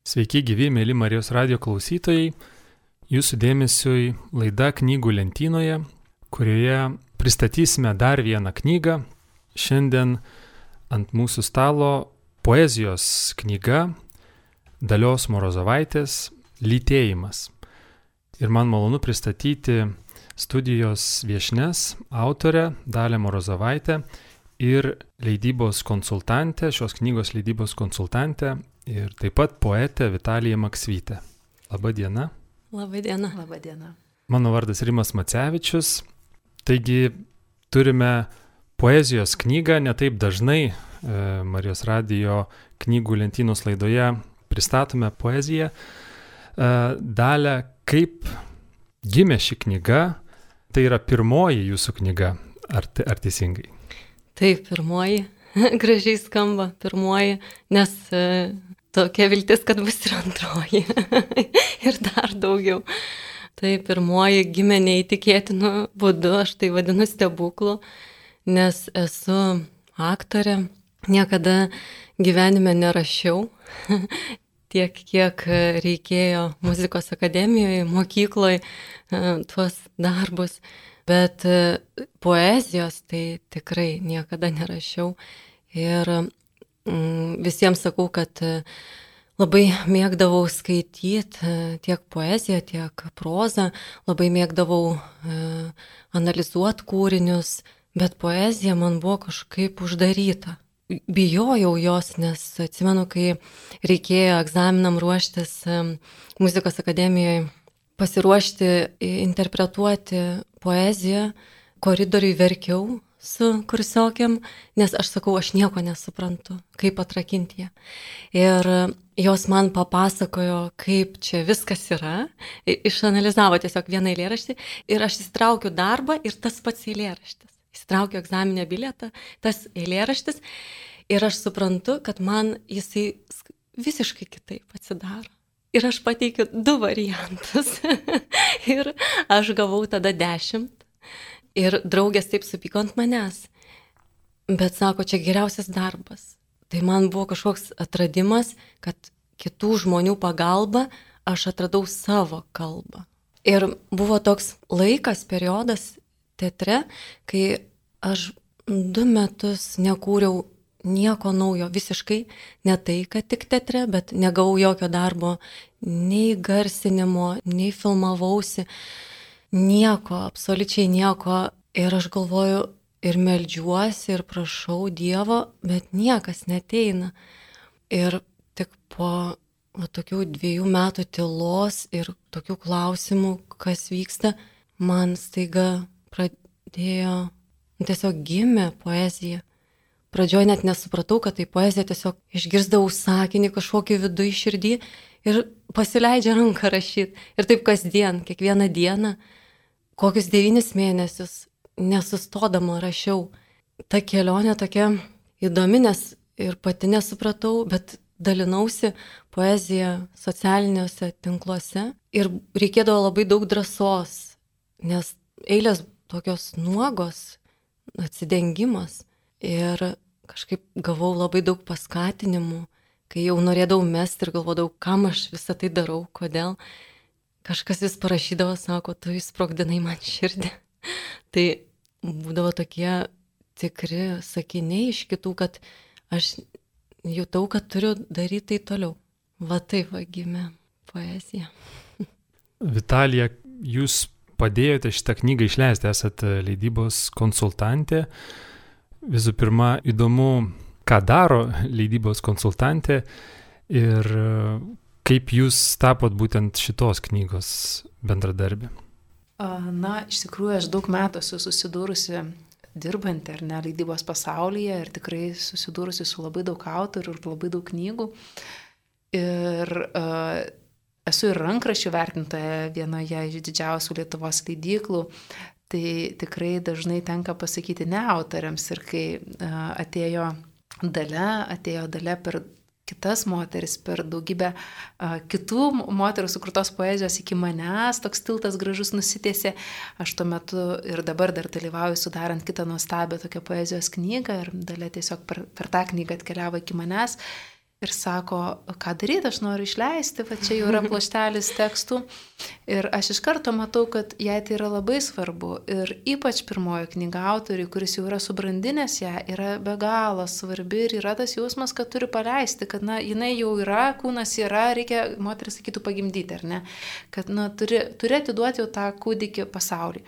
Sveiki gyvi, mėly Marijos radijo klausytojai. Jūsų dėmesiui laida Knygų lentynoje, kurioje pristatysime dar vieną knygą. Šiandien ant mūsų stalo poezijos knyga Dalios Morozovaitės Lytėjimas. Ir man malonu pristatyti studijos viešnias, autorę Dalią Morozovaitę ir leidybos konsultantę, šios knygos leidybos konsultantę ir taip pat poetę Vitaliją Maksvytę. Labą dieną. Labą dieną. Labą dieną. Mano vardas Rimas Macevičius. Taigi turime poezijos knygą, netaip dažnai Marijos radijo knygų lentynos laidoje pristatome poeziją. Dalia, kaip gimė ši knyga? Tai yra pirmoji jūsų knyga, ar teisingai? Taip, pirmoji. Gražiai skamba pirmoji, nes tokia viltis, kad bus ir antroji. Ir dar daugiau. Tai pirmoji gimė neįtikėtinu būdu, aš tai vadinu stebuklu, nes esu aktorė, niekada gyvenime nerašiau tiek, kiek reikėjo muzikos akademijoje, mokykloje tuos darbus, bet poezijos tai tikrai niekada nerašiau. Ir visiems sakau, kad labai mėgdavau skaityti tiek poeziją, tiek prozą, labai mėgdavau analizuoti kūrinius, bet poezija man buvo kažkaip uždaryta. Bijojau jos, nes atsimenu, kai reikėjo egzaminam ruoštis muzikos akademijoje, pasiruošti, interpretuoti poeziją, koridoriui verkiau su kursiokėm, nes aš sakau, aš nieko nesuprantu, kaip atrakinti ją. Ir jos man papasakojo, kaip čia viskas yra, išanalizavo tiesiog vieną eilėraštį ir aš įsitraukiu darbą ir tas pats eilėraštis. Įsitraukiu egzaminę bilietą, tas eilėraštis ir aš suprantu, kad man jisai visiškai kitaip atsidaro. Ir aš pateikiu 2 variantus ir aš gavau tada 10. Ir draugės taip supyko ant manęs. Bet sako, čia geriausias darbas. Tai man buvo kažkoks atradimas, kad kitų žmonių pagalba aš atradau savo kalbą. Ir buvo toks laikas, periodas teatre, kai aš 2 metus nekūriau nieko naujo, visiškai ne tai, kad tik teatre, bet negavau jokio darbo, nei garsinimo, nei filmavausi. Nieko, absoliučiai nieko. Ir aš galvoju ir meldžiuosi ir prašau Dievo, bet niekas neteina. Ir tik po tokių 2 metų tylos ir tokių klausimų, kas vyksta, man staiga pradėjo, tiesiog gimė poezija. Pradžioje net nesupratau, kad tai poezija, tiesiog išgirsdavau sakinį kažkokį viduje širdį ir pasileidžia ranką rašyti. Ir taip kasdien, kiekvieną dieną, kokius 9 mėnesius nesustodama rašiau. Ta kelionė tokia įdomi, nes ir pati nesupratau, bet dalinausi poeziją socialiniuose tinkluose ir reikėdavo labai daug drąsos, nes eilės tokios nuogos, atsidengimas. Ir kažkaip gavau labai daug paskatinimų, kai jau norėdavau mesti ir galvodavau, kam aš visą tai darau, kodėl. Kažkas vis parašydavo, sako, tu įsprogdinai man širdį. Tai būdavo tokie tikri sakiniai iš kitų, kad aš jutau, kad turiu daryti tai toliau. Va taip va gimė poezija. Vitalija, jūs padėjote šitą knygą išleisti, esate leidybos konsultantė. Visų pirma, įdomu, ką daro leidybos konsultantė ir kaip jūs tapot būtent šitos knygos bendradarbė. Na, iš tikrųjų, aš daug metų esu susidūrusi dirbantį ar ne leidybos pasaulyje ir tikrai susidūrusi su labai daug autorių ir labai daug knygų. Ir esu ir rankraščių vertintoja vienoje iš didžiausių Lietuvos leidyklų. Tai tikrai dažnai tenka pasakyti ne autoriams. Ir kai atėjo Dalia per kitas moteris, per daugybę kitų moterų sukurtos poezijos iki manęs, toks tiltas gražus nusitiesė. Aš tuo metu ir dabar dar dalyvauju sudarant kitą nuostabią tokią poezijos knygą ir Dalia tiesiog per tą knygą atkeliavo iki manęs. ir sako, ką daryti, aš noriu išleisti, va čia jau yra pluoštelis tekstų. Ir aš iš karto matau, kad jai tai yra labai svarbu. Ir ypač pirmoji knyga autoriui, kuris jau yra subrandinęs ją, yra be galo svarbi ir yra tas jausmas, kad turi paleisti, kad jinai jau yra, kūnas yra, reikia, moteris sakytų, pagimdyti, ar ne? Kad turi atiduoti jau tą kūdikį pasauliui.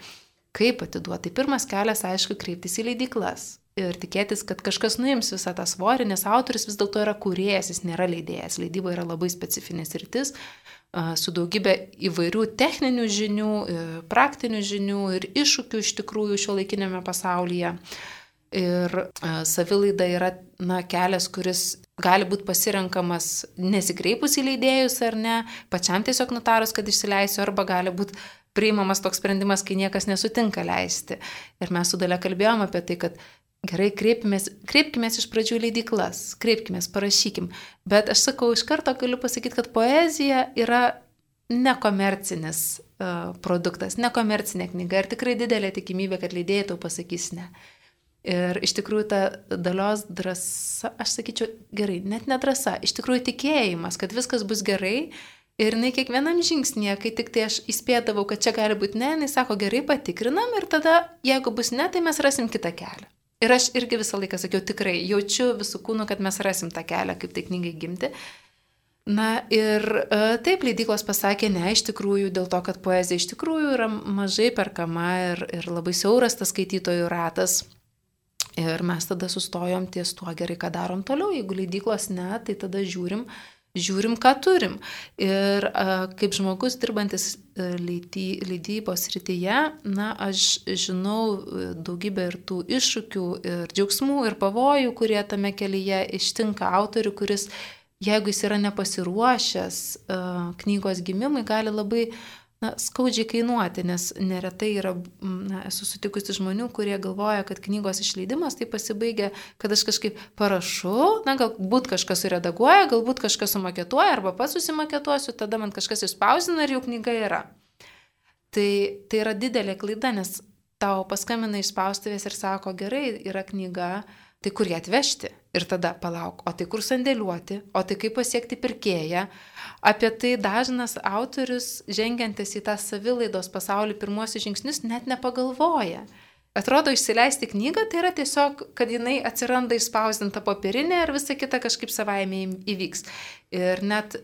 Kaip atiduoti? Tai pirmas kelias, aišku, kreiptis į leidyklas. Ir tikėtis, kad kažkas nuims visą tą svorį, nes autorius vis dėlto yra kūrėjas, jis nėra leidėjas. Leidyba yra labai specifinės sritis, su daugybė įvairių techninių žinių, praktinių žinių ir iššūkių iš tikrųjų šiuolaikinėme pasaulyje. Ir savilaida yra kelias, kuris gali būti pasirenkamas nesikreipus į leidėjus ar ne, pačiam tiesiog nutarus, kad išsileisiu, arba gali būti priimamas toks sprendimas, kai niekas nesutinka leisti. Ir mes su Dalia kalbėjom apie tai, kad gerai, kreipkimės iš pradžių leidyklas, kreipkimės, parašykim. Bet aš sakau, iš karto galiu pasakyti, kad poezija yra nekomercinis produktas, nekomercinė knyga ir tikrai didelė tikimybė, kad leidėjai tau pasakys ne. Ir iš tikrųjų ta Dalios drąsa, aš sakyčiau, gerai, net ne drąsa, iš tikrųjų tikėjimas, kad viskas bus gerai. Ir jinai kiekvienam žingsnėje, kai tik tai aš įspėdavau, kad čia gali būti ne, jinai sako, gerai, patikrinam ir tada, jeigu bus ne, tai mes rasim kitą kelią. Ir aš irgi visą laiką sakiau, tikrai, jaučiu visų kūnų, kad mes rasim tą kelią, kaip tai knygai gimti. Ir taip, leidyklos pasakė ne, iš tikrųjų, dėl to, kad poezija iš tikrųjų yra mažai perkama ir labai siauras tas skaitytojų ratas. Ir mes tada sustojom ties tuo, gerai, ką darom toliau. Jeigu leidyklos ne, tai tada žiūrim, ką turim. Ir kaip žmogus dirbantis leidybos srityje, aš žinau daugybę ir tų iššūkių, ir džiaugsmų, ir pavojų, kurie tame kelyje ištinka autorių, kuris, jeigu jis yra nepasiruošęs knygos gimimui, gali labai skaudžiai kainuoti, nes neretai yra, esu sutikusi žmonių, kurie galvoja, kad knygos išleidimas tai pasibaigia, kad aš kažkaip parašau, galbūt kažkas suredaguoja, galbūt kažkas sumaketuoja, arba pats susimaketuosiu, tada man kažkas išspausdina ir jau knyga yra. Tai yra didelė klaida, nes tau paskambina iš spaustuvės ir sako, gerai, yra knyga, tai kur ją atvežti? Ir tada palauk, o tai kur sandėliuoti, o tai kaip pasiekti pirkėją. Apie tai dažnas autorius, žengiantis į tą savilaidos pasaulį pirmuosius žingsnius, net nepagalvoja. Atrodo, išsileisti knygą tai yra tiesiog, kad jinai atsiranda išspausdinta popierinė ir visa kita kažkaip savaime įvyks. Ir net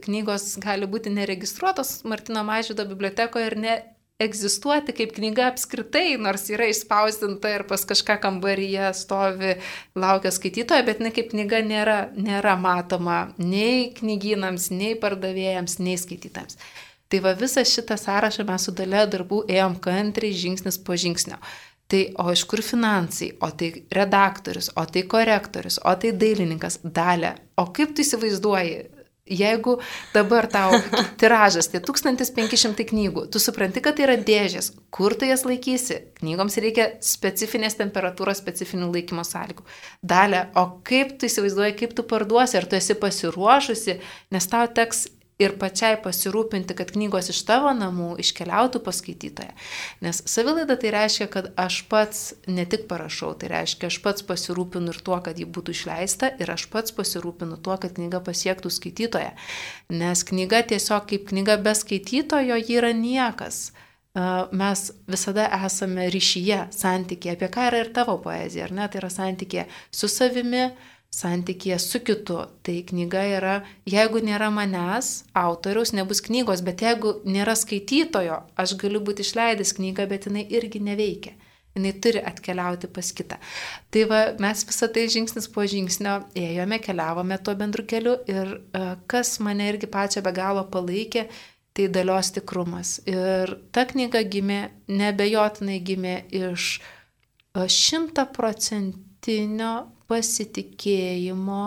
knygos gali būti neregistruotos Martyno Mažvydo bibliotekoje ir egzistuoti kaip knyga apskritai, nors yra išspausdinta ir pas kažką kambaryje stovi, laukia skaitytojo, bet kaip knyga nėra matoma nei knygynams, nei pardavėjams, nei skaitytams. Tai va visą šitą sąrašą mes su Dalia darbų ėjom kantriai žingsnis po žingsnio. Tai o iš kur finansai, o tai redaktorius, o tai korektorius, o tai dailininkas, Dalia. O kaip tu įsivaizduoji? Jeigu dabar tau tiražas, tai 1500 knygų, tu supranti, kad tai yra dėžės, kur tu jas laikysi? Knygoms reikia specifinės temperatūros, specifinių laikymo sąlygų. Dalia, o kaip tu įsivaizduoji, kaip tu parduosi, ar tu esi pasiruošusi, nes tau teks ir pačiai pasirūpinti, kad knygos iš tavo namų iškeliautų pas skaitytoją. Nes savilaida tai reiškia, kad aš pats ne tik parašau, tai reiškia, aš pats pasirūpinu ir tuo, kad ji būtų išleista, ir aš pats pasirūpinu tuo, kad knyga pasiektų skaitytoją. Nes knyga tiesiog kaip knyga be skaitytojo, ji yra niekas. Mes visada esame ryšyje, santykėje, apie ką yra ir tavo poezija, ar ne? Tai yra santykėje su savimi, santykėje su kitu. Tai knyga yra, jeigu nėra manęs, autoriaus, nebus knygos, bet jeigu nėra skaitytojo, aš galiu būti išleidęs knygą, bet jinai irgi neveikia. Jinai turi atkeliauti pas kitą. Tai va, mes visą tai žingsnis po žingsnio ėjome, keliavome tuo bendru keliu ir kas mane irgi pačią be galo palaikė, tai Dalios tikrumas. Ir ta knyga gimė, nebejotinai gimė iš 100% pasitikėjimo,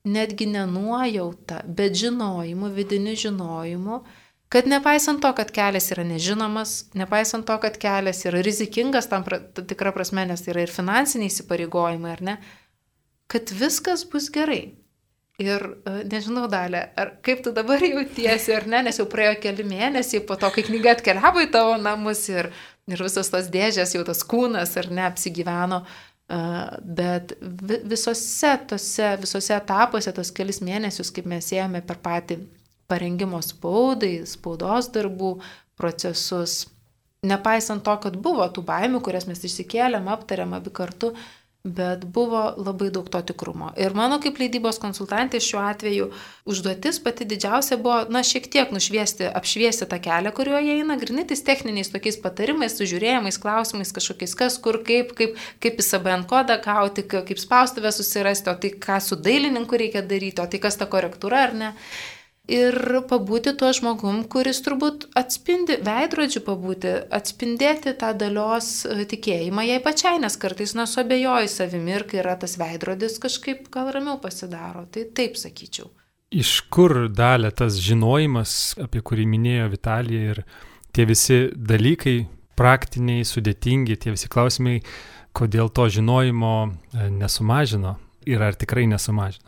netgi nenuojauta, bet žinojimu, vidiniu žinojimu, kad nepaisant to, kad kelias yra nežinomas, nepaisant to, kad kelias yra rizikingas tam tikra prasme, nes tai yra ir finansiniai įsipareigojimai, ar ne, kad viskas bus gerai. Ir nežinau, Dalia, kaip tu dabar jautiesi, ar ne, nes jau praėjo keli mėnesiai po to, kai knyga atkeliavo į tavo namus ir visos tos dėžės, jau tas kūnas, ar ne, apsigyveno. Bet visose etapuose, tos kelis mėnesius, kaip mes ėjome per patį parengimo spaudai, spaudos darbų procesus, nepaisant to, kad buvo tų baimių, kurias mes išsikėlėm, aptarėm abi kartu, bet buvo labai daug to tikrumo. Ir mano kaip leidybos konsultantė šiuo atveju užduotis pati didžiausia buvo, šiek tiek apšviesti tą kelią, kuriuo jie eina, grinai tais techniniais tokiais patarimais, sužiūrėjimais, klausimais, kažkokiais kas, kur, kaip ISBN kodą gauti, kaip spaustuvę susirasti, o tai ką su dailininku reikia daryti, o tai kas ta korektūra ar ne. Ir pabūti tuo žmogum, kuris turbūt atspindi, veidrodžiu pabūti, atspindėti tą Dalios tikėjimą jai pačiai, nes kartais suabejoji savimi ir kai yra tas veidrodis, kažkaip gal ramiau pasidaro. Tai taip sakyčiau. Iš kur Dalia tas žinojimas, apie kurį minėjo Vitalija, ir tie visi dalykai praktiniai, sudėtingi, tie visi klausimai, kodėl to žinojimo nesumažino ir ar tikrai nesumažino?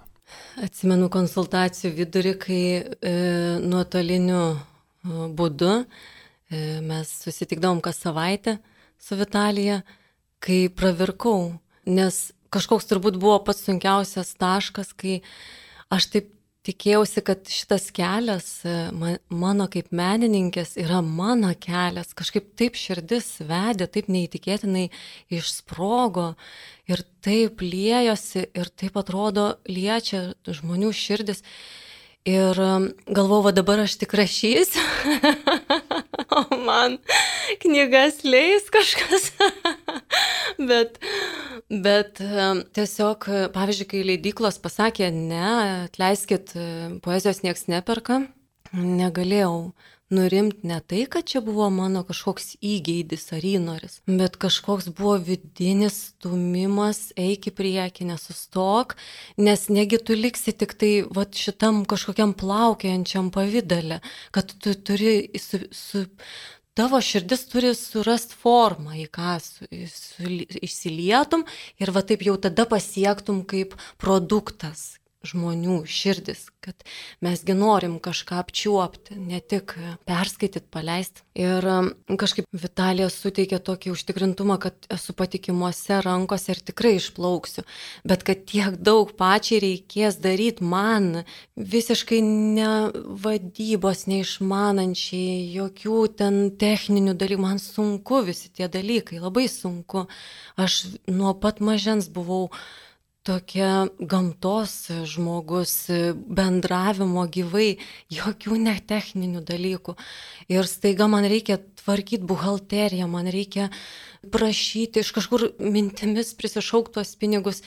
Atsimenu konsultacijų vidurį, kai nuotoliniu būdu mes susitikdavom kas savaitę su Vitalija, kai pravirkau, nes kažkoks turbūt buvo pats sunkiausias taškas, kai aš taip tikėjausi, kad šitas kelias mano kaip menininkės yra mano kelias, kažkaip taip širdis vedė, taip neįtikėtinai išsprogo ir taip liejosi ir taip atrodo liečia žmonių širdis. Ir galvojau, dabar aš tik rašysiu, o man knygas leis kažkas. Bet tiesiog, pavyzdžiui, kai leidyklos pasakė, ne, atleiskit, poezijos nieks neperka, negalėjau nurimti ne tai, kad čia buvo mano kažkoks įgeidis ar įnoris, bet kažkoks buvo vidinis stumimas, eik į priekį, nesustok, nes negi tu liksi tik tai šitam kažkokiam plaukiojančiam pavydale, kad tu turi tavo širdis turi surasti formą, į ką išsilietum ir taip jau tada pasiektum kaip produktas žmonių širdis, kad mesgi norim kažką apčiuopti, ne tik perskaityti, paleisti. Ir kažkaip Vitalija suteikė tokį užtikrintumą, kad esu patikimuose rankose ir tikrai išplauksiu, bet kad tiek daug pačiai reikės daryti man, visiškai ne vadybos, neišmanančiai, jokių ten techninių dalykų, man sunku visi tie dalykai, labai sunku. Aš nuo pat mažens buvau tokia gamtos žmogus, bendravimo gyvai, jokių netechninių dalykų. Ir staiga man reikia tvarkyti buhalteriją, man reikia prašyti, iš kažkur mintimis prisišaukti tuos pinigus.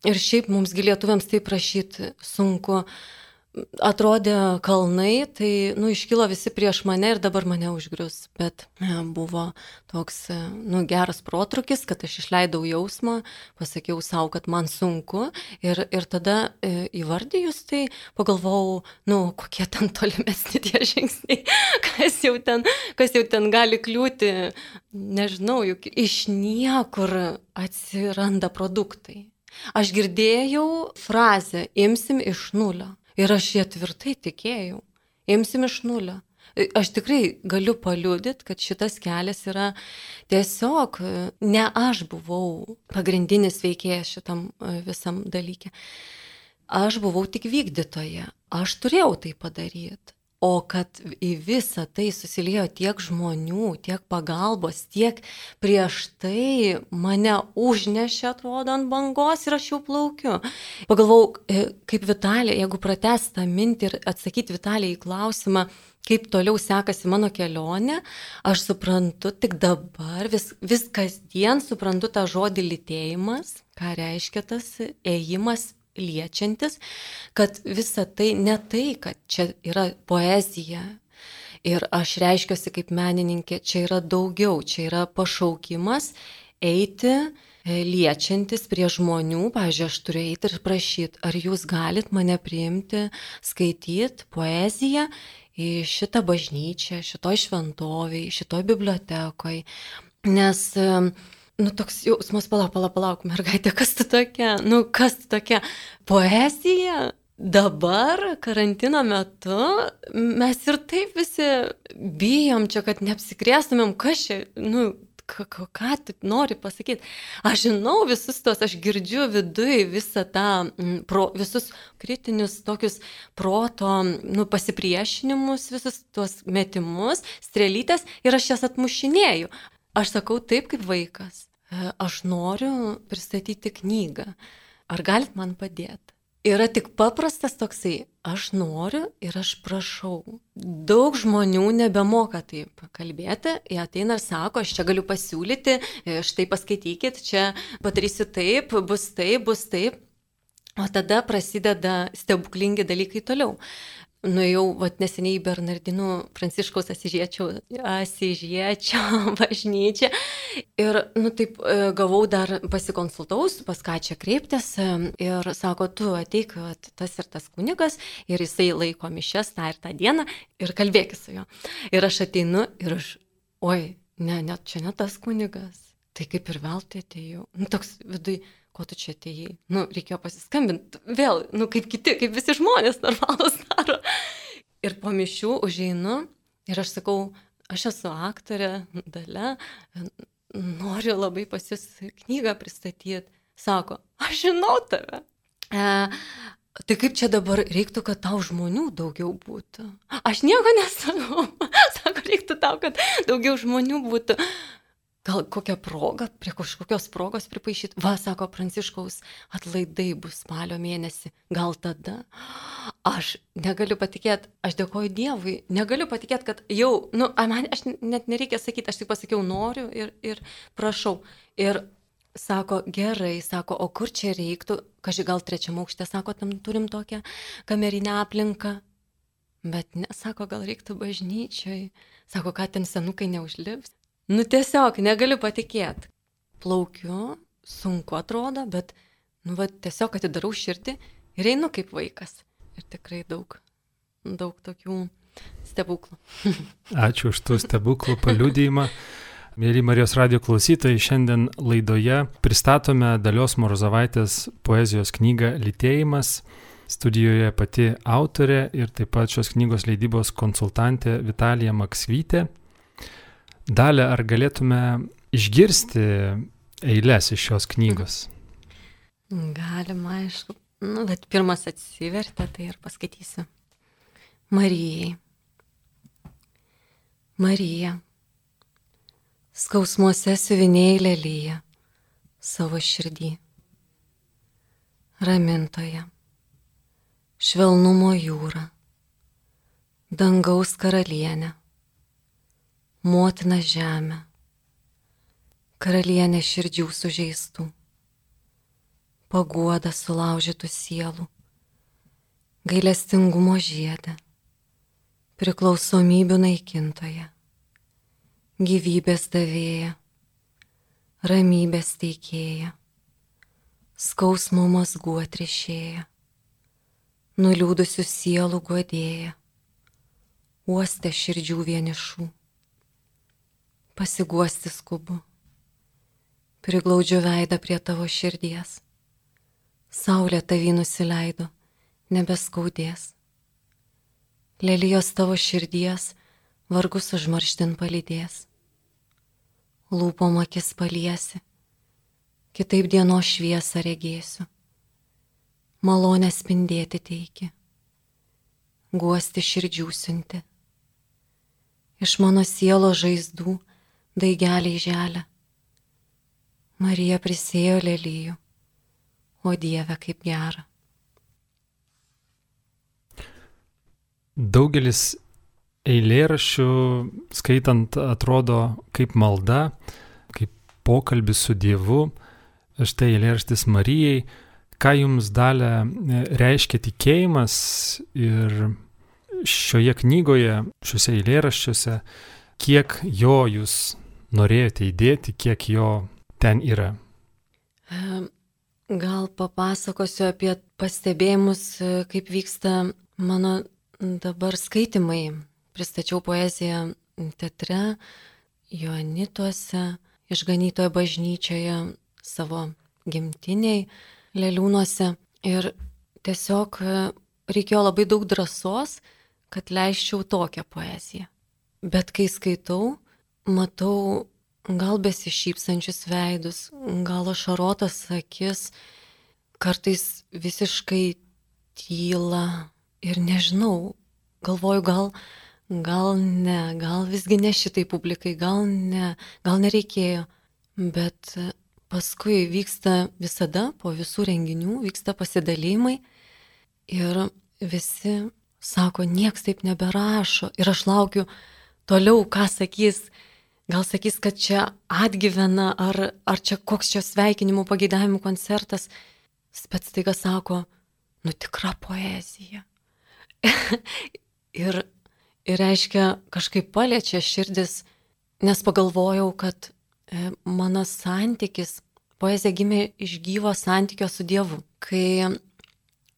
Ir šiaip mums lietuviams tai prašyti sunku. Atrodė kalnai, tai iškilo visi prieš mane ir dabar mane užgrius. Bet buvo toks geras protrukis, kad aš išleidau jausmą, pasakiau savo, kad man sunku ir tada įvardijus tai pagalvojau, kokie ten tolimesni tie žingsniai, kas jau ten gali kliūti, nežinau, juk iš niekur atsiranda produktai. Aš girdėjau frazę, imsim iš nulio. Ir aš ją tvirtai tikėjau. Imsim iš nulio. Aš tikrai galiu paliudyti, kad šitas kelias yra tiesiog, ne aš buvau pagrindinis veikėjas šitam visam dalyke. Aš buvau tik vykdytoja. Aš turėjau tai padaryti. O kad į visą tai susiliejo tiek žmonių, tiek pagalbos, tiek prieš tai mane užnešė, atrodo, ant bangos ir aš jau plaukiu. Pagalvojau, kaip Vitalija, jeigu pratęsti tą mintį ir atsakyti Vitalijai į klausimą, kaip toliau sekasi mano kelionė, aš suprantu tik dabar, vis kasdien suprantu tą žodį lytėjimas, ką reiškia tas ėjimas liečiantis, kad visa tai ne tai, kad čia yra poezija ir aš reiškiuosi kaip menininkė, čia yra daugiau, čia yra pašaukimas eiti liečiantis prie žmonių. Pavyzdžiui, aš turiu eiti ir prašyti, ar jūs galit mane priimti, skaityti poeziją į šitą bažnyčią, šitoj šventovėj, šitoj bibliotekoj, nes toks jausmas, palauk, mergaitė, kas tu tokia? Kas tu tokia? Poezija? Dabar, karantino metu, mes ir taip visi bijom čia, kad neapsikrėstumėm, kas čia, ką tu nori pasakyti. Aš žinau visus tos, aš girdžiu viduje visą tą, visus kritinius tokius proto pasipriešinimus, visus tuos metimus, strėlytės ir aš jas atmušinėju. Aš sakau taip kaip vaikas. Aš noriu pristatyti knygą. Ar galit man padėti? Yra tik paprastas toksai, aš noriu ir aš prašau. Daug žmonių nebemoka taip kalbėti, jie ateina ir sako, aš čia galiu pasiūlyti, štai paskaitykit, čia padarysiu taip, bus taip, bus taip. O tada prasideda stebuklingi dalykai toliau. Nuėjau neseniai į Bernardinų Pranciškaus Asyžiečio bažnyčią ir taip gavau dar pasikonsultaus, pas ką čia kreiptis ir sako, tu ateik tas ir tas kunigas ir jisai laiko mišias tą ir tą dieną ir kalbėkis su juo. Ir aš ateinu ir čia ne tas kunigas, tai kaip ir veltui atėjau. Toks viduj. Ko tu čia atėjai? Reikėjo pasiskambinti vėl, kaip kiti, kaip visi žmonės normalus daro. Ir po mišių užeinu ir aš sakau, aš esu aktorė, Dalia, noriu labai pas jūs knygą pristatyti. Sako, aš žinau tave. Tai kaip čia dabar reiktų, kad tau žmonių daugiau būtų? Aš nieko nesakau. Sako, reiktų tau, kad daugiau žmonių būtų. Gal kokią progą, prie kažkokios progos pripaišyti. Sako, Pranciškaus atlaidai bus spalio mėnesį. Gal tada? Aš negaliu patikėti, aš dėkoju Dievui, negaliu patikėti, kad jau, aš net nereikia sakyti, aš tik pasakiau noriu ir prašau. Ir sako, gerai, sako, o kur čia reiktų? Gal 3 aukšte, sako, tam turim tokią kamerinę aplinką. Bet ne, sako, gal reiktų bažnyčioj. Sako, ką ten senukai neužlips. Tiesiog negaliu patikėti. Plaukiu, sunku atrodo, bet tiesiog atidarau širdį ir einu kaip vaikas. Ir tikrai daug tokių stebuklų. Ačiū už tų stebuklų paliudijimą. Mėly Marijos radijo klausytojai, šiandien laidoje pristatome Dalios Morozovaitės poezijos knygą Lytėjimas. Studijoje pati autorė ir taip pat šios knygos leidybos konsultantė Vitalija Maksvytė. Dalia, ar galėtume išgirsti eiles iš šios knygos? Galima, aišku. Bet pirmas atsivertė, tai ir paskaitysiu. Marijai. Marija, skausmuose siuvinėjai lyja savo širdį. Ramintoja, švelnumo jūra, dangaus karalienė. Motina žemė, karalienė širdžių sužeistų, paguoda sulaužytų sielų, gailestingumo žiedė, priklausomybių naikintoja, gyvybės davėja, ramybės teikėja, skausmo mazgų atrišėja, nuliūdusių sielų guodėja, uoste širdžių vienišų. Pasiguosti skubu, priglaudžiu veidą prie tavo širdies, saulė tavį nusileido, nebeskaudės. Lelijos tavo širdies vargus užmarštin palydės, lūpom akis paliesi, kitaip dienos šviesą regėsiu, malonę spindėti teiki, guosti širdžių siunti, iš mano sielo žaizdų daigeliai želia. Marija prisėjo lelijų, o Dieve kaip gera. Daugelis eilėraščių skaitant atrodo kaip malda, kaip pokalbis su Dievu. Štai eilėraštis Marijai. Ką jums, Dalia, reiškia tikėjimas ir šioje knygoje, šiuose eilėraščiuose, kiek jo jūs norėjote įdėti, kiek jo ten yra? Gal papasakosiu apie pastebėjimus, kaip vyksta mano dabar skaitimai. Pristačiau poeziją teatre, Joanituose, Išganytojo bažnyčioje, savo gimtiniai, Leliūnuose. Ir tiesiog reikėjo labai daug drąsos, kad leisčiau tokią poeziją. Bet kai skaitau, matau gal besišypsančius veidus, gal ašarotas akis, kartais visiškai tyla ir nežinau, galvoju, gal ne, gal visgi ne šitai publikai, gal nereikėjo, bet paskui vyksta visada, po visų renginių, vyksta pasidalymai ir visi sako, nieks taip neberašo ir aš laukiu toliau, ką sakys. Gal sakys, kad čia atgyvena, ar čia koks čia sveikinimų pageidavimų koncertas. Bet staiga sako, tikra poezija. ir reiškia, kažkaip paliečia širdis, nes pagalvojau, kad mano santykis, poezija gimė iš gyvo santykio su Dievu. Kai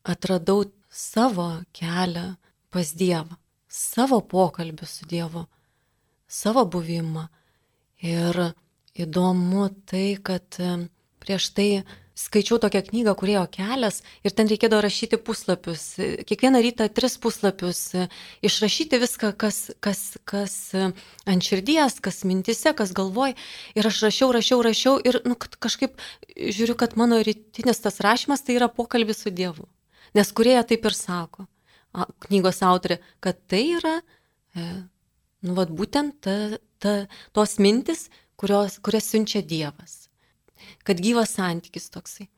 atradau savo kelią pas Dievą, savo pokalbį su Dievu, savo buvimą. Ir įdomu tai, kad prieš tai skaičiau tokią knygą Kūrėjo kelias ir ten reikėdavo rašyti puslapius. Kiekvieną rytą 3 puslapius, išrašyti viską, kas ant širdies, kas mintise, kas galvoj. Ir aš rašiau ir kažkaip žiūriu, kad mano rytinis tas rašymas tai yra pokalbis su Dievu. Nes Kūrėja taip ir sako, knygos autorė, kad tai yra būtent tos mintis, kurias siunčia Dievas. Kad gyvas santykis toksai.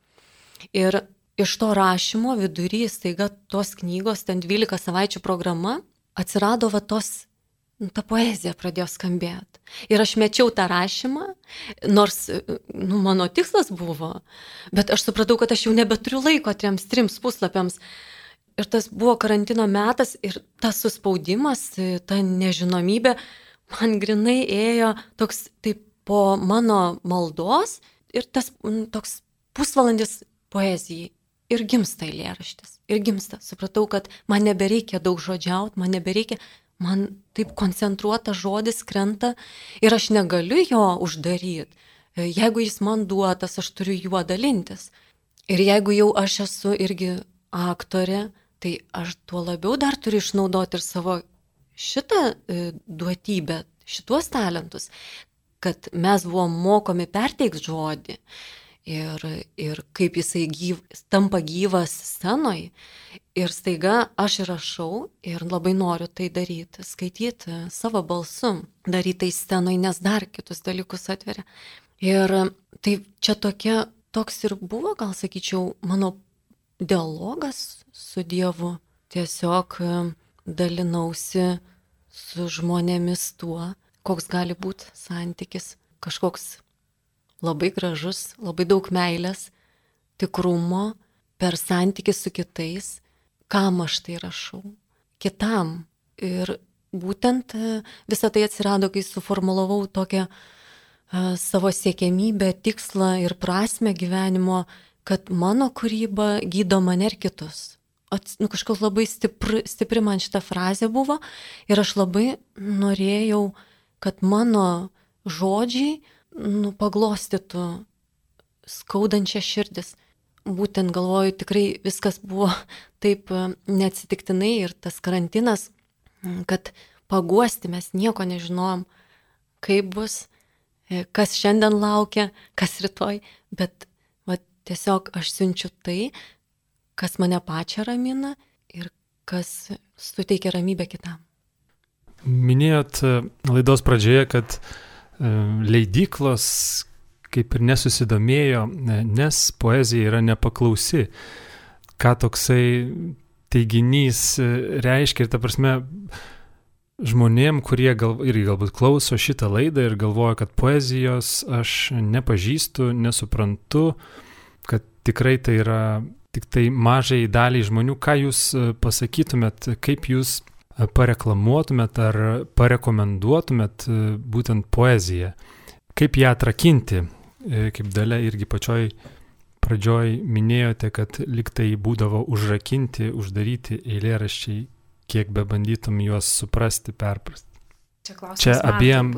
Ir iš to rašymo vidury staiga tos knygos, ten 12 savaičių programa, atsirado ta poezija pradėjo skambėti. Ir aš mečiau tą rašymą, nors mano tikslas buvo, bet aš supratau, kad aš jau nebeturiu laiko 3 puslapiams. Ir tas buvo karantino metas ir tas suspaudimas, ta nežinomybė, man grinai ėjo toks taip po mano maldos ir tas toks pusvalandis poezijai. Ir gimsta eilėraštis. Ir gimsta. Supratau, kad man nebereikia daug žodžiauti, man taip koncentruotas žodis krenta ir aš negaliu jo uždaryti. Jeigu jis man duotas, aš turiu juo dalintis. Ir jeigu jau aš esu irgi aktorė, tai aš tuo labiau dar turiu išnaudoti ir savo šitą duotybę, šituos talentus, kad mes buvom mokomi perteikti žodį ir kaip jisai tampa gyvas scenoj. Ir staiga aš rašau ir labai noriu tai daryti, skaityti savo balsu, daryti tai scenoj, nes dar kitus dalykus atveria. Ir tai čia toks ir buvo, gal sakyčiau, mano dialogas su Dievu. Tiesiog dalinausi su žmonėmis tuo, koks gali būti santykis. Kažkoks labai gražus, labai daug meilės, tikrumo, per santykį su kitais, kam aš tai rašau, kitam. Ir būtent visą tai atsirado, kai suformulavau tokią savo siekiamybę, tikslą ir prasmę gyvenimo, kad mano kūryba gydo mane ir kitus. Kažkas labai stipri man šita frazė buvo ir aš labai norėjau, kad mano žodžiai paglostytų skaudančią širdis. Būtent galvoju, tikrai viskas buvo taip neatsitiktinai ir tas karantinas, kad paguosti mes nieko nežinojom, kaip bus, kas šiandien laukia, kas rytoj, bet tiesiog aš siunčiu tai, kas mane pačią ramina ir kas suteikia ramybę kitam. Minėjot laidos pradžioje, kad leidyklos kaip ir nesusidomėjo, nes poezija yra nepaklausi. Ką toksai teiginys reiškia ir ta prasme žmonėm, kurie irgi galbūt klauso šitą laidą ir galvoja, kad poezijos aš nepažįstu, nesuprantu, kad tikrai tai yra tik tai mažai daliai žmonių. Ką jūs pasakytumėt, kaip jūs pareklamuotumėt ar parekomenduotumėt būtent poeziją? Kaip ją atrakinti? Kaip Dalia irgi pačioj pradžioj minėjote, kad lyg tai būdavo užrakinti, uždaryti eilėraščiai, kiek bebandytum juos suprasti, perprasti. Čia abiem,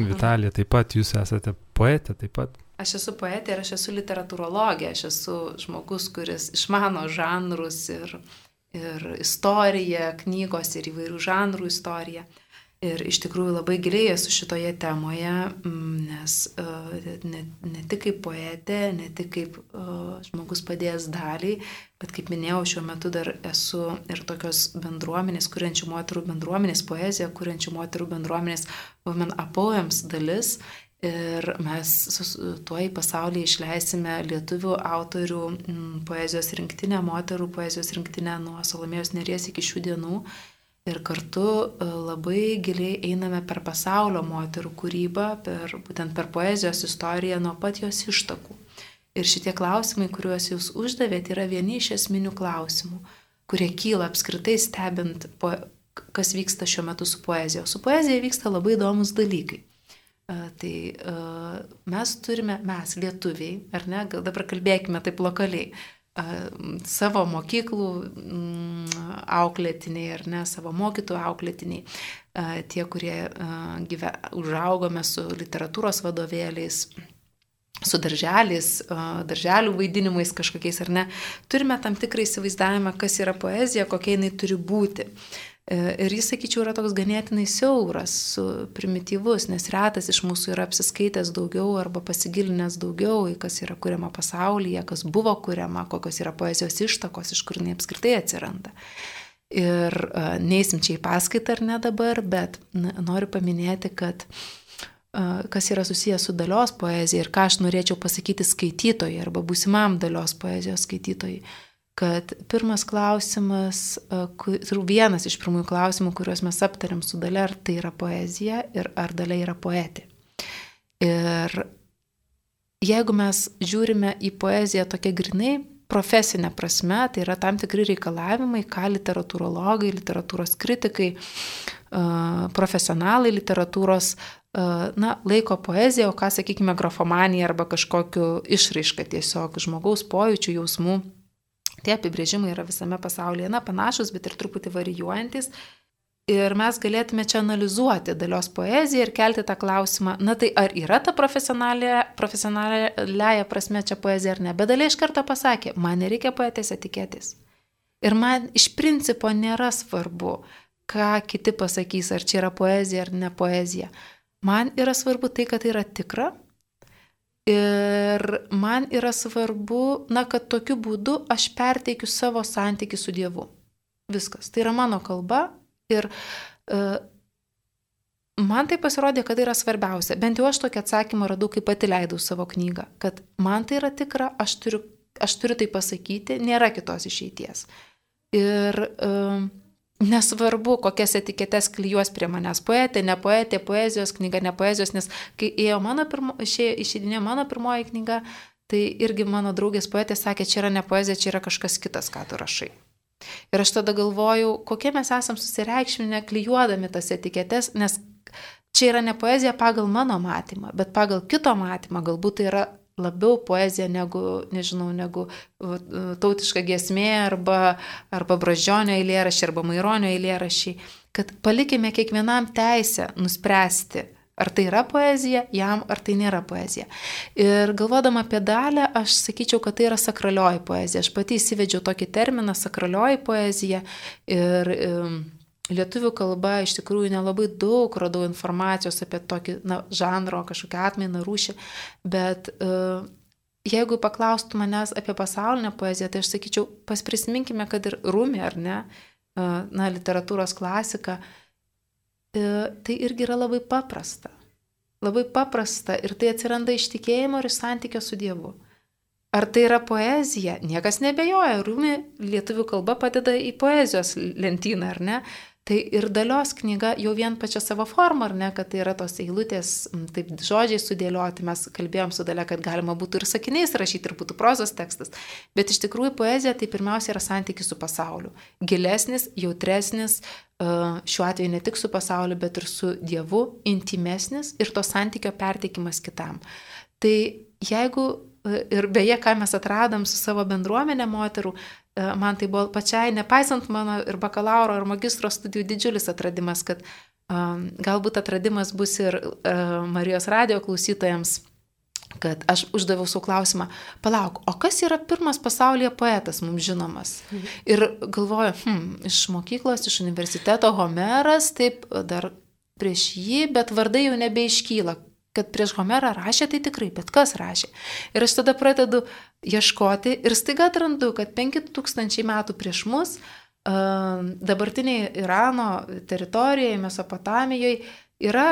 Vitalija, taip pat jūs esate poetė, taip pat. Aš esu poetė ir aš esu literatūrologė, aš esu žmogus, kuris išmano žanrus ir istoriją, knygos ir įvairių žanrų istoriją. Ir iš tikrųjų labai giliai esu šitoje temoje, nes ne tik kaip poetė, ne tik kaip žmogus padėjęs daliai, bet kaip minėjau, šiuo metu dar esu ir tokios bendruomenės, kuriančių moterų bendruomenės, poeziją kuriančių moterų bendruomenės Women a Poems dalis. Ir mes tuo į pasaulį išleisime lietuvių autorių poezijos rinktinę, moterų poezijos rinktinę nuo Salomėjos Nėries iki šių dienų. Ir kartu labai giliai einame per pasaulio moterų kūrybą, būtent per poezijos istoriją nuo pat jos ištakų. Ir šitie klausimai, kuriuos jūs uždavėte, yra vieni iš esminių klausimų, kurie kyla apskritai stebint, kas vyksta šiuo metu su poezija. Su poezija vyksta labai įdomus dalykai. Tai mes lietuviai, ar ne, gal dabar kalbėkime taip lokaliai, savo mokyklų auklėtiniai, ar ne, savo mokytojų auklėtiniai, tie, kurie užaugome su literatūros vadovėliais, su darželių vaidinimais kažkokiais, ar ne, turime tam tikrą įsivaizdavimą, kas yra poezija, kokia jinai turi būti. Ir jis, sakyčiau, yra toks ganėtinai siauras, primityvus, nes retas iš mūsų yra apsiskaitęs daugiau arba pasigilinęs daugiau į kas yra kuriama pasaulyje, kas buvo kuriama, kokios yra poezijos ištakos, iš kur jinai apskritai atsiranda. Ir neįsim čia į paskaitą ar ne dabar, bet noriu paminėti, kad kas yra susijęs su dalios poezija ir ką aš norėčiau pasakyti skaitytojai arba būsimam dalios poezijos skaitytojai. Kad pirmas klausimas, vienas iš pirmųjų klausimų, kuriuos mes aptariam su Dalia, ar tai yra poezija ir ar Dalia yra poetė. Ir jeigu mes žiūrime į poeziją tokia grinai profesinė prasme, tai yra tam tikri reikalavimai, ką literatūrologai, literatūros kritikai, profesionalai literatūros laiko poeziją, o ką, sakykime, grafomanija arba kažkokiu išraiška tiesiog žmogaus pojūčių, jausmų. Tie apibrėžimai yra visame pasaulyje, panašus, bet ir truputį varijuojantis. Ir mes galėtume čia analizuoti Dalios poeziją ir kelti tą klausimą, tai ar yra ta profesionaliaja prasme čia poezija ar ne. Bet Dalia iš karto pasakė, man nereikia poetės etiketės. Ir man iš principo nėra svarbu, ką kiti pasakys, ar čia yra poezija ar ne poezija. Man yra svarbu tai, kad tai yra tikra. Ir man yra svarbu, kad tokiu būdu aš perteikiu savo santykį su Dievu. Viskas. Tai yra mano kalba ir man tai pasirodė, kad tai yra svarbiausia. Bent jau aš tokį atsakymą radau, kai pati leidau savo knygą. Kad man tai yra tikra, aš turiu tai pasakyti, nėra kitos išeities. Ir nesvarbu, kokias etiketes klijuos prie manęs poetė, ne poetė, poezijos knyga, ne poezijos, nes kai išeidinėjo mano pirmoji knyga, tai irgi mano draugės poetė sakė, čia yra ne poezija, čia yra kažkas kitas, ką tu rašai. Ir aš tada galvojau, kokie mes esam susireikšminę klijuodami tas etiketes, nes čia yra ne poezija pagal mano matymą, bet pagal kito matymą, galbūt tai yra labiau poezija negu tautiška giesmė arba Brazdžionio eilėraščiai arba Maironio eilėraščiai, kad palikime kiekvienam teisę nuspręsti, ar tai yra poezija, jam ar tai nėra poezija. Ir galvodama apie Dalią, aš sakyčiau, kad tai yra sakralioji poezija. Aš pati įsivedžiau tokį terminą sakralioji poezija ir lietuvių kalba iš tikrųjų nelabai daug radau informacijos apie tokį žanro, kažkokią atmainą, rūšį, bet jeigu paklaustų manęs apie pasaulinę poeziją, tai aš sakyčiau, prisiminkime, kad ir Rumi, ar ne, literatūros klasika, tai irgi yra labai paprasta. Labai paprasta ir tai atsiranda iš tikėjimo ir iš santykio su Dievu. Ar tai yra poezija? Niekas nebejoja. Rumi lietuvių kalba padeda į poezijos lentyną, ar ne? Tai ir Dalios knyga jau vien pačia savo formą, ar ne, kad tai yra tos eilutės, taip žodžiai sudėlioti, mes kalbėjom su Dalia, kad galima būtų ir sakiniais rašyti, ir būtų prozos tekstas, bet iš tikrųjų poezija tai pirmiausia yra santykis su pasauliu. Gilesnis, jautresnis, šiuo atveju ne tik su pasauliu, bet ir su Dievu, intimesnis ir to santykio perteikimas kitam. Tai jeigu, ir beje, ką mes atradom su savo bendruomenė moterų, man tai buvo pačiai, nepaisant mano ir bakalauro, ir magistro studijų didžiulis atradimas, kad galbūt atradimas bus ir Marijos radijo klausytojams, kad aš uždaviau savo klausimą, palauk, o kas yra pirmas pasaulyje poetas mums žinomas? Ir galvoju, iš mokyklos, iš universiteto Homeras, taip dar prieš jį, bet vardai jau nebeiškyla. Kad prieš Homerą rašė, tai tikrai, bet kas rašė. Ir aš tada pradedu ieškoti ir staiga atrandu, kad 5000 metų prieš mus dabartiniai Irano teritorijoje, Mesopotamijoje yra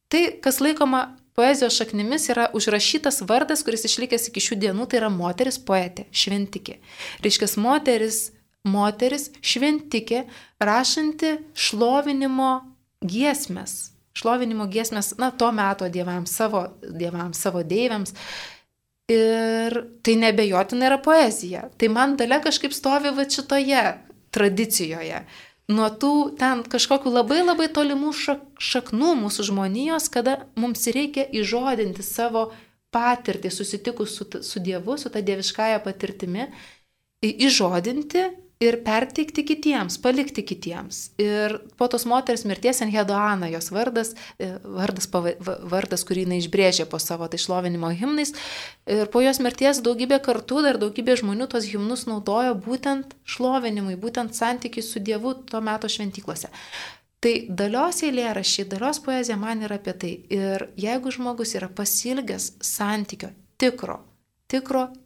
tai, kas laikoma poezijos šaknimis, yra užrašytas vardas, kuris išlikęs iki šių dienų, tai yra moteris poetė, šventikė. Reiškia, moteris šventikė, rašanti šlovinimo giesmes. To meto dievams, savo deivėms. Ir tai nebejotinai yra poezija. Tai man Dalia kažkaip stovi šitoje tradicijoje. Nuo tų ten kažkokių labai labai tolimų šaknų mūsų žmonijos, kada mums reikia įžodinti savo patirtį, susitikus su Dievu, su ta dieviškąja patirtimi, įžodinti ir perteikti kitiems, palikti kitiems. Ir po tos moters mirties Enheduana, jos vardas, kurį jinai išbrėžė po savo tai šlovinimo himnais. Ir po jos mirties daugybė kartų, dar daugybė žmonių tos himnus naudojo būtent šlovinimui, būtent santykiai su Dievu to meto šventyklose. Tai Dalios eilėraščiai, Dalios poezija man yra apie tai. Ir jeigu žmogus yra pasiilgęs santykio tikro,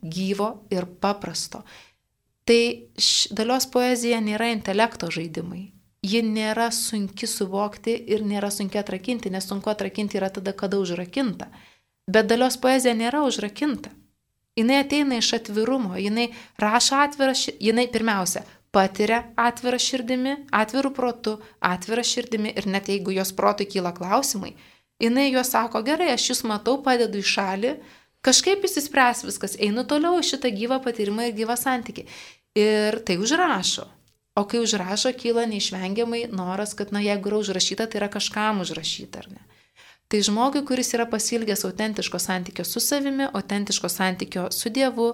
gyvo ir paprasto, tai Dalios poezija nėra intelekto žaidimai. Ji nėra sunki suvokti ir nėra sunki atrakinti, nes sunku atrakinti yra tada, kada užrakinta. Bet Dalios poezija nėra užrakinta. Jinai ateina iš atvirumo, jinai rašo jinai pirmiausia patiria atvirą širdimi, atvirų protu, atvirą širdimi ir net jeigu jos protui kyla klausimai, jinai juos sako, gerai, aš jūs matau, padedu į šalį, kažkaip įsispręs viskas, einu toliau šitą gyvą patyrimą ir gyvą santykį. Ir tai užrašo. O kai užrašo, kyla neišvengiamai noras, kad, jeigu yra užrašyta, tai yra kažkam užrašyta, ar ne? Tai žmogui, kuris yra pasiilgęs autentiško santykio su savimi, autentiško santykio su Dievu,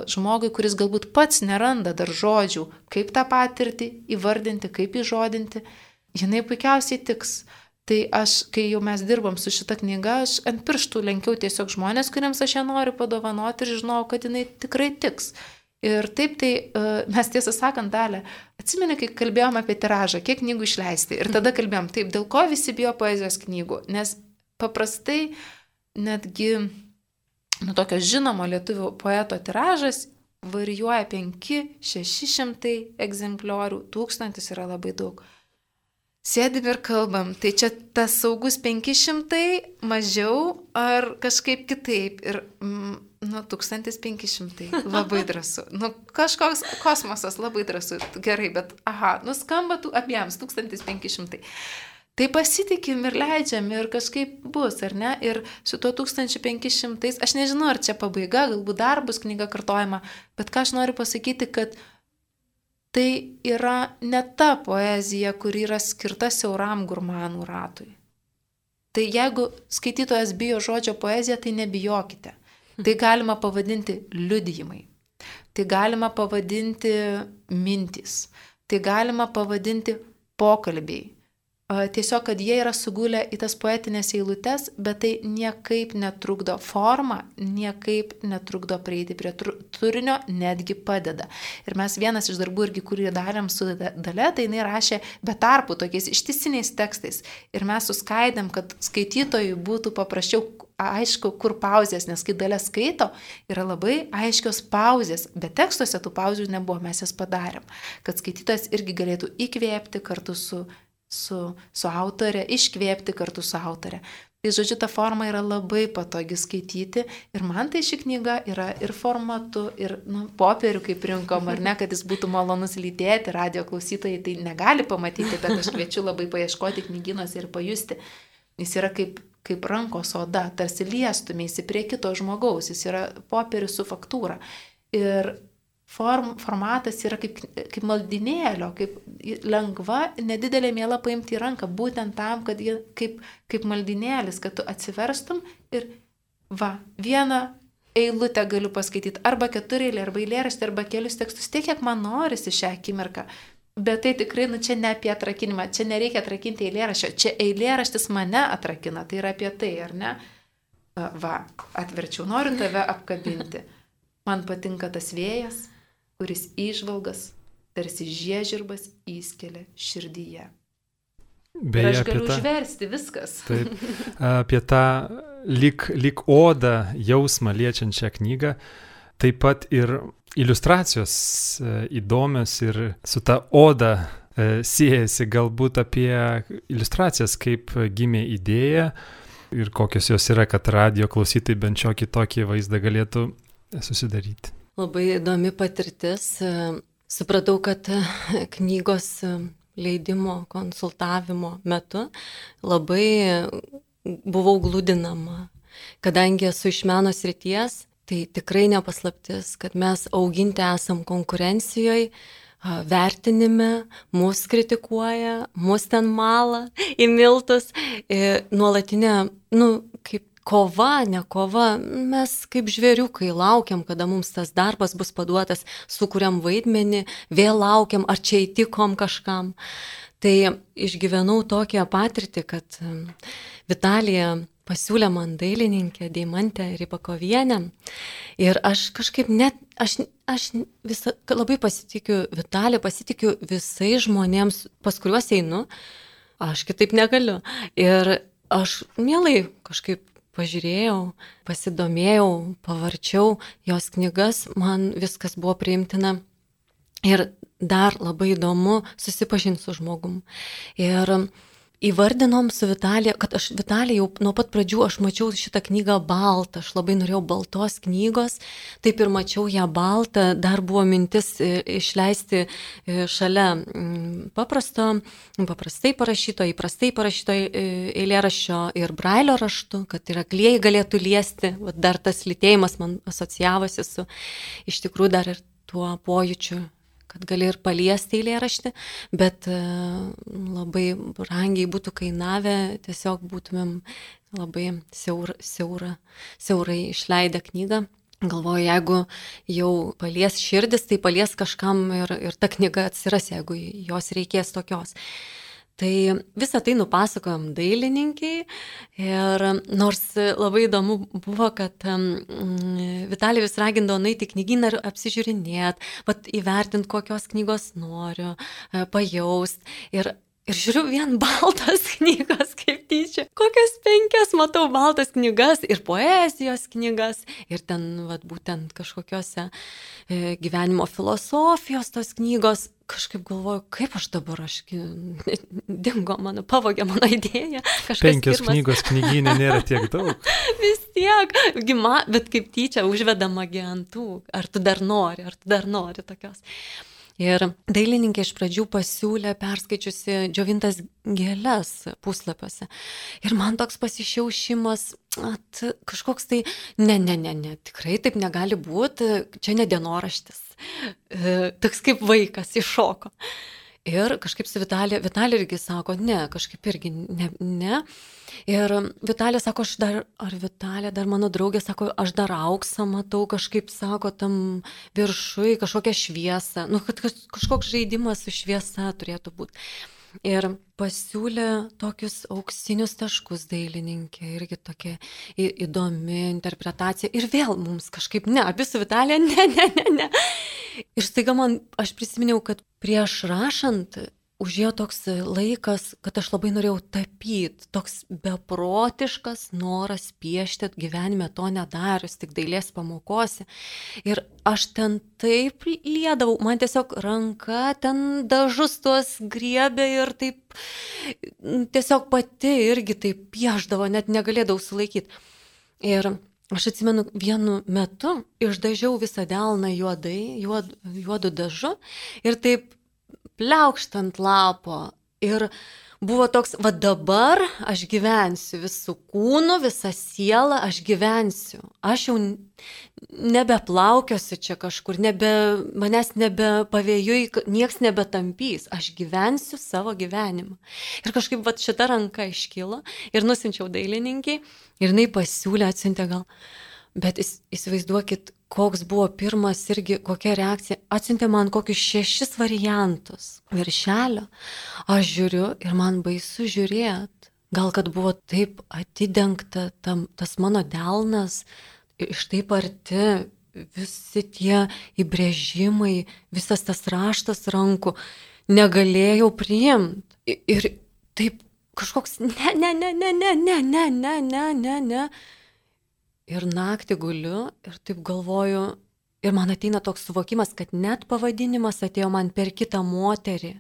žmogui, kuris galbūt pats neranda dar žodžių, kaip tą patirtį įvardinti, kaip įžodinti, jinai puikiausiai tiks. Tai kai jau mes dirbom su šita knyga, aš ant pirštų lenkiau tiesiog žmonės, kuriems aš ją noriu padovanoti ir žinau, kad jinai tikrai tiks. Ir taip tai mes tiesą sakant, Dalia, atsimeni, kai kalbėjom apie tiražą, kiek knygų išleisti. Ir tada kalbėjom, taip, dėl ko visi bijo poezijos knygų. Nes paprastai netgi tokio žinomo lietuvių poeto tiražas varijuoja 500-600 egzempliorių, 1000 yra labai daug. Sėdim ir kalbam, tai čia tas saugus 500 mažiau ar kažkaip kitaip. Ir 1500 labai drąsu. Kažkoks kosmosas labai drąsu. Gerai, bet skamba abiems 1500. Tai pasitikim ir leidžiam ir kažkaip bus, ar ne? Ir su tuo 1500, aš nežinau, ar čia pabaiga, galbūt dar bus knyga kartojama, bet ką aš noriu pasakyti, kad tai yra ne ta poezija, kuri yra skirta siauram gurmanų ratui. Tai jeigu skaitytojas bijo žodžio poeziją, tai nebijokite. Tai galima pavadinti liudijimai, tai galima pavadinti mintys, tai galima pavadinti pokalbiai. Tiesiog, kad jie yra sugulę į tas poetinės eilutes, bet tai niekaip netrukdo formą, niekaip netrukdo prieiti prie turinio, netgi padeda. Ir mes vienas iš darbų irgi, kurį darėm su Dalia, tai jinai rašė be tarpų tokiais ištisiniais tekstais. Ir mes suskaidėm, kad skaitytojui būtų paprasčiau aišku, kur pauzės, nes kai Dalia skaito, yra labai aiškios pauzės, bet tekstuose tų pauzių nebuvo, mes jas padarėm, kad skaitytojas irgi galėtų įkvėpti kartu su autorė, iškvėpti kartu su autorė. Tai žodžiu, ta forma yra labai patogi skaityti ir man tai ši knyga yra ir formatu, ir popierių kaip rinkom, ar ne, kad jis būtų malonus lytėti, radio klausytojai tai negali pamatyti, bet aš kviečiu labai paieškoti knygynuose ir pajusti. Jis yra kaip rankos oda, tarsi liestumėsi prie kito žmogaus, jis yra popierius su faktūra. Ir formatas yra kaip maldinėlio, kaip lengva, nedidelė miela paimti į ranką, būtent tam, kad jie kaip maldinėlis, kad tu atsiverstum ir vieną eilutę galiu paskaityti, arba 4 eilė, arba eilėraštį, arba kelius tekstus, tiek, kiek man norisi šią akimirką. Bet tai tikrai, čia ne apie atrakinimą, čia nereikia atrakinti eilėraščio, čia eilėraštis mane atrakina, tai yra apie tai, ar ne? Atverčiau, noriu tave apkabinti. Man patinka tas vėjas, kuris įžvalgas, tarsi žiežirbas įskelia širdyje. Ir aš galiu užversti viskas. Taip, apie tą lyg odą jausmą liečiančią knygą, taip pat ir iliustracijos įdomios ir su ta oda siejasi galbūt apie iliustracijas, kaip gimė idėja ir kokios jos yra, kad radijo klausytojai bent šiokį tokį vaizdą galėtų susidaryti. Labai įdomi patirtis. Supratau, kad knygos leidimo, konsultavimo metu labai buvau gludinama. Kadangi esu iš meno srities, tai tikrai nepaslaptis, kad mes auginti esam konkurencijoje, vertinime, mus kritikuoja, mus ten mala į miltus, nuolatinė, kaip kova, ne kova, mes kaip žvėriukai laukiam, kada mums tas darbas bus paduotas, sukuriam vaidmenį, vėl laukiam, ar čia įtikom kažkam. Tai išgyvenau tokią patirtį, kad Vitalija pasiūlė man dailininkę Deimantę Rybakovienę ir aš kažkaip aš labai pasitikiu Vitalija, pasitikiu visais žmonėms, pas kuriuos einu, aš kitaip negaliu. Ir aš mielai kažkaip pažiūrėjau, pasidomėjau, pavarčiau jos knygas, man viskas buvo priimtina ir dar labai įdomu susipažinti su žmogum. Ir įvardinom su Vitalija, kad aš Vitalija jau nuo pat pradžių aš mačiau šitą knygą baltą, aš labai norėjau baltos knygos, taip ir mačiau ją baltą, dar buvo mintis išleisti šalia paprastai parašyto, įprastai parašyto eilėraščio ir brailio raštu, kad ir aklieji galėtų liesti, dar tas lytėjimas man asocijavosi su iš tikrųjų dar ir tuo pojūčiu, kad gali ir paliesti eilėraštį, bet labai brangiai būtų kainavę, tiesiog būtumėm labai siaurai išleidę knygą. Galvoju, jeigu jau palies širdis, tai palies kažkam ir ta knyga atsiras, jeigu jos reikės tokios. Tai visą tai nupasakojom dailininkiai ir nors labai įdomu buvo, kad Vitalija vis ragindavo nueiti į knygyną ir apsižiūrinėti, įvertinti, kokios knygos noriu, pajaust. Ir žiūriu vien baltas knygas, kaip tyčia. Kokias 5 matau baltas knygas ir poezijos knygas. Ir ten būtent kažkokiose gyvenimo filosofijos tos knygos. Kažkaip galvoju, kaip aš dabar, dingo mano, pavogė mano idėją. 5 knygos knygyne nėra tiek daug. Vis tiek, bet kaip tyčia užvedama ant tų. Ar tu dar nori tokios. Ir dailininkė iš pradžių pasiūlė perskaičiusi džiovintas gėles puslapiuose. Ir man toks pasišiaušimas, kažkoks tai, ne, tikrai taip negali būti, čia ne dienoraštis. Toks kaip vaikas iššoko. Ir kažkaip su Vitalija irgi sako, ne, kažkaip irgi ne. Ir Vitalija sako, Vitalija, dar mano draugė sako, aš dar auksą matau, kažkaip sako, tam viršui kažkokią šviesą, kad kažkoks žaidimas su šviesa turėtų būti. Ir pasiūlė tokius auksinius taškus dailininkė, irgi tokia įdomi interpretacija. Ir vėl mums kažkaip, abi su Vitalija, ne. Ir staiga aš prisiminiau, kad prieš rašant užėjo toks laikas, kad aš labai norėjau tapyti, toks beprotiškas noras piešti, gyvenime to nedarius, tik dailės pamokose. Ir aš ten taip liedavau, man tiesiog ranka ten dažus tuos griebė ir taip tiesiog pati irgi taip pieždavo, net negalėdavau sulaikyti. Ir aš atsimenu, vienu metu išdažiau visą delną juodu dažu ir taip pliaukšt ant lapo. Ir buvo toks, dabar aš gyvensiu visų kūnų, visą sielą, aš gyvensiu. Aš jau nebeplaukiosiu čia kažkur, manęs nebepavėjui, nieks nebetampys. Aš gyvensiu savo gyvenimą. Ir kažkaip šita ranka iškilo ir nusinčiau dailininkiai ir jinai pasiūlė, atsiuntė gal. Bet įsivaizduokit, koks buvo pirmas irgi, kokia reakcija. Atsiuntė man kokius 6 variantus viršelio. Aš žiūriu ir man baisu žiūrėti. Gal kad buvo taip atidengta tas mano delnas, iš taip arti, visi tie įbrėžimai, visas tas raštas rankų, negalėjau priimti. Ir taip kažkoks ne. Ir naktį guliu ir taip galvoju, ir man ateina toks suvokimas, kad net pavadinimas atėjo man per kitą moterį.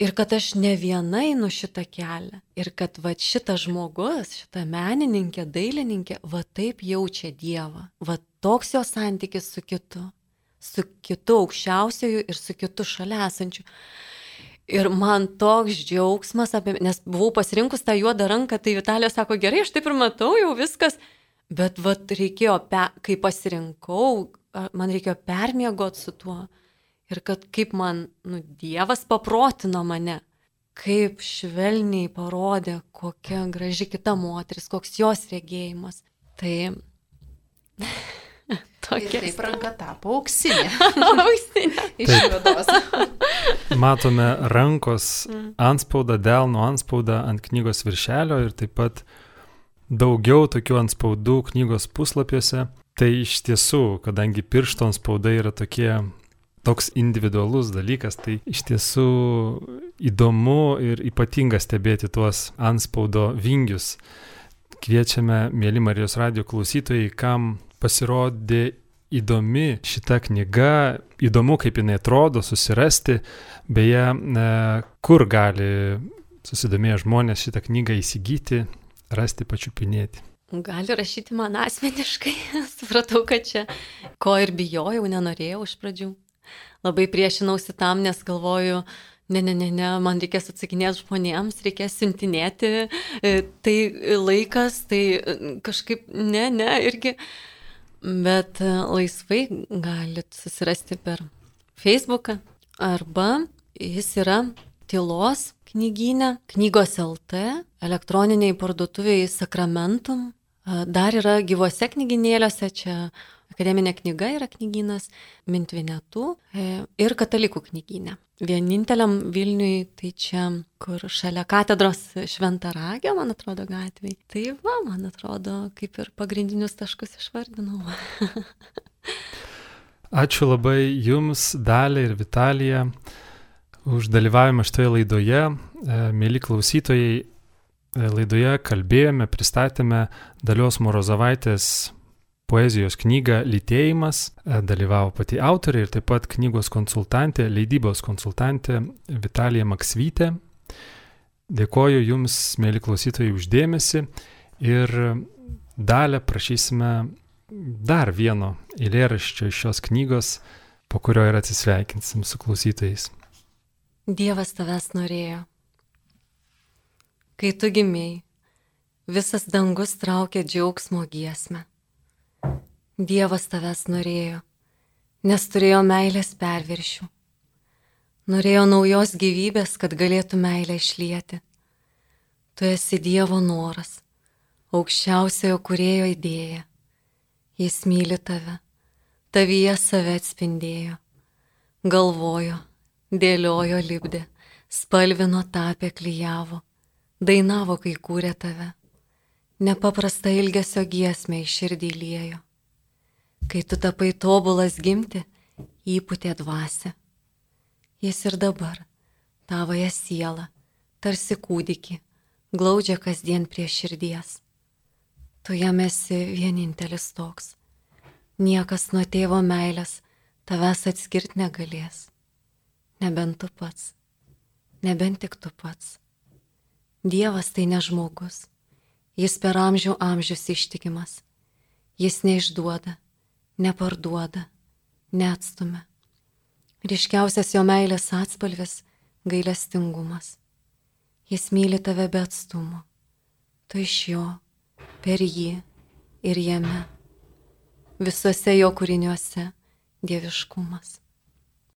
Ir kad aš ne viena einu šitą kelią. Ir kad va šitas žmogus, šita menininkė, dailininkė, va taip jaučia Dievą. Va toks jo santykis su kitu aukščiausiųjų ir su kitu šalia esančiu. Ir man toks džiaugsmas, nes buvau pasirinkus tą juodą ranką, tai Vitalija sako, gerai, aš taip ir matau, jau viskas. Bet vat reikėjo, kai pasirinkau, man reikėjo permiegoti su tuo. Ir kad kaip man, Dievas paprotino mane, kaip švelniai parodė, kokia graži kita moteris, koks jos regėjimas. Tai tokia. Ir taip ranka tapo auksinė. Auksinė. Iš juodos. Matome rankos antspaudą, delno antspaudą ant knygos viršelio ir taip pat daugiau tokių antspaudų knygos puslapiuose. Tai iš tiesų, kadangi piršto antspaudai yra toks individualus dalykas, tai iš tiesų įdomu ir ypatinga stebėti tuos antspaudo vingius. Kviečiame, mėly Marijos radijo klausytojai, kam pasirodė įdomi šita knyga, įdomu kaip jinai atrodo, susirasti. Beje, kur gali susidomėję žmonės šitą knygą įsigyti, rasti, pačiupinėti. Gali rašyti man asmeniškai. Supratau, kad čia ko ir bijojau, nenorėjau iš pradžių. Labai priešinausi tam, nes galvoju, ne, man reikės atsakinėti žmonėms, reikės siuntinėti, tai laikas, tai kažkaip ne, irgi. Bet laisvai galit susirasti per Facebooką arba jis yra Tylos knygyne, knygos LT, elektroniniai parduotuvėje Sakramentum. Dar yra gyvose knygynėliuose, čia akademinė knyga yra knygynas, Mintvinetų ir katalikų knygyne. Vieninteliam Vilniui, tai čia, kur šalia katedros Šventaragio, man atrodo, gatvėj. Tai va, man atrodo, kaip ir pagrindinius taškus išvardinau. Ačiū labai Jums, Dalia ir Vitalija, už dalyvavimą šitoje laidoje. Mėly klausytojai, laidoje kalbėjome, pristatėme Dalios Morozovaitės poezijos knygą Lytėjimas. Dalyvavo pati autorė ir taip pat knygos konsultantė, leidybos konsultantė Vitalija Maksvytė. Dėkoju Jums, mėly klausytojai, už dėmesį ir Dalia prašysime dar vieno eilėraščio iš šios knygos, po kurio ir atsisveikinsim su klausytojais. Dievas tavęs norėjo. Kai tu gimėjai, visas dangus traukė džiaugsmo giesmę. Dievas tavęs norėjo, nes turėjo meilės perviršių. Norėjo naujos gyvybės, kad galėtų meilę išlieti. Tu esi Dievo noras, aukščiausiojo kūrėjo idėja. Jis myli tave, tavyje save atspindėjo. Galvojo, dėliojo, lipdė, spalvino, tapė, klijavo. Dainavo, kai kūrė tave. Nepaprasta ilgesio giesmę į širdį liejo. Kai tu tapai tobulas gimti, įpūtė dvasią. Jis ir dabar tavoje sielą, tarsi kūdikį, glaudžia kasdien prie širdies. Tu jam esi vienintelis toks. Niekas nuo tėvo meilės tavęs atskirt negalės. Nebent tu pats, nebent tik tu pats. Dievas tai ne žmogus, jis per amžių amžius ištikimas. Jis neišduoda, neparduoda, neatstumia. Ryškiausias jo meilės atspalvis - gailestingumas. Jis myli tave be atstumo. Tu iš jo, per jį ir jame. Visuose jo kūriniuose dieviškumas.